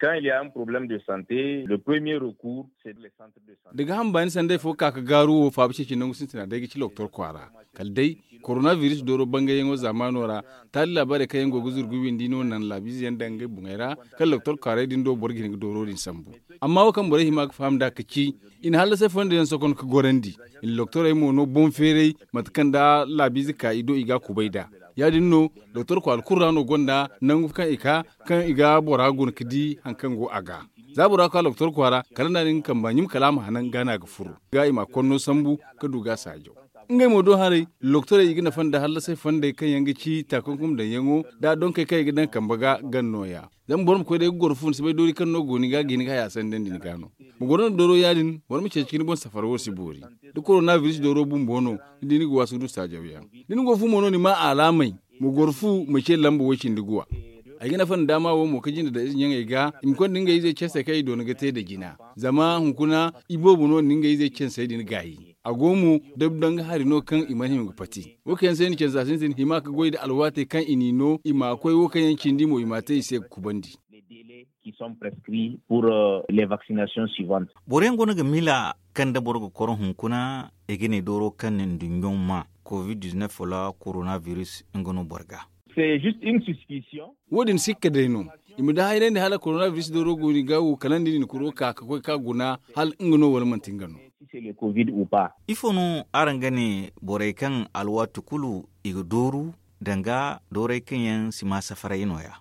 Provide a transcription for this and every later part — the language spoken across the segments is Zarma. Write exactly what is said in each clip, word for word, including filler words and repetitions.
Quand il y a un problème de santé, le premier recours, c'est les centres de santé. Da ga hamba ni sanday fo ka ga gaaru wo faabu ceeci nangu sintina day ga ci loktor kwaara. Kala day, koronabiris dooro bangayyaŋo zaamaano ra, taali laabaarey kaŋ yaŋ go ga zuru ga windi no naŋ laabiize yaŋ daŋ ngey boŋey ra, kala loktor kwaaray din do boro ga hin ga dooro din sambu. Amma wo kaŋ borey hima ga faham nd'a ka ci, i na hallasay fondo yaŋ sokon ga gorandi. I na loktorey mo no boŋ feeray mate kaŋ da laabiize ka i do i ga a kubay nd'a. Ya- din no, doktor kwaara kulu ra no gonda nangu kaŋ i ka, kaŋ i ga bora guna ga di hari kaŋ go a ga. Za bora ka doktor kwaara, kala nda a na nga kamba ɲum kala a ma hanan ga no a ga furo ga i ma a konno sambu, ka du ga a saajaw. Ngey mo do haray, doktorey i ga nafa nda hallasay fondey kaŋ yaŋ ga ci taakunkum daŋyaŋo, nda donkey kaŋ i ga daŋ kamba ga gan nooya. Zama boro ma koy day ga goro fu ni si bay doori kaŋ no go ni ga ga hin ga haya sandandi ni ga no. Ma goro nda dooro ya- din, boro ma ceeci ga ni boŋ safara wo si boori. Da koronabiris dooro bumbo no, ni di ni ga waasu ga du saajawyaŋ. Da ni go fu mo no ni ma alaamey, ma goro fu ma ce lamba way cindi guwa. Ay ga nafa nda daama wo mo ka jinde da ize ɲaŋey ga i ma konda ngey izey censey kaŋ i doona ga te nda jina. Zama hunkuna, iboobo no na ngey izey censey din gaayi. A go mo, dabdanga hari no kaŋ i mana hima ga pati. Wo kaŋ yaŋ se ni cansa sintin hima ga goy nda alwaatey kaŋ i n'i no i ma koy wo kaŋ yaŋ cindi mo i ma a te i se ga kubandi. Qui sont prescrits pour les vaccinations suivantes. Boro yaŋ go no ga miila kaŋ da boro ga koro hunkuna i ga ne dooro kaŋ na nduɲɲo ma covid-19 wala koronabiris nga no boro ga. Wo- din sikka day no. I ma da hayrandi hala koronabiris dooro go ni ga wo kala nda ni na kuro ka ga koy ka guna hala nga no wala manti nga no. Ifo no araŋ ga ne borey kaŋ alwaati kulu i ga dooru danga doorey kaŋ yaŋ si ma safaray nooya?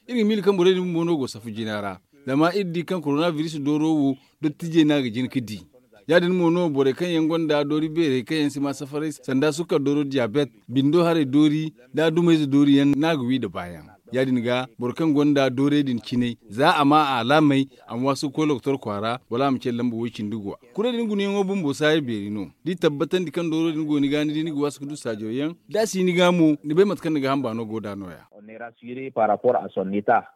Iri ga miila kaŋ borey din bumbo no go safu jina ra. Zama iri di kaŋ koronabiris dooro wo dottijey no a ga jin ga di. Ya- din mo no borey kaŋ yaŋ gonda doori beerey kaŋ yaŋ si ma safaray sanda sukkar dooro diyabet, bindo haray doori, da dumayze doori yaŋ no a ga wi nda baayaŋ. Ya- din ga boro kaŋ gonda doorey din cinay, za a ma a alaamey, a ma waasu ga koy lokotor kwaara wala a ma ce lamba way- cindi guwa. Kurey din gunayaŋo bumbo saaya beeri no. Da i tabbatandi kaŋ dooro din go ni ga ni di ni ga waasu ga du saajawyaŋ, da a si ni ga mo ni bay mate kaŋ ni ga hamba no go nd'a nooya. On est rassuré par rapport à son état.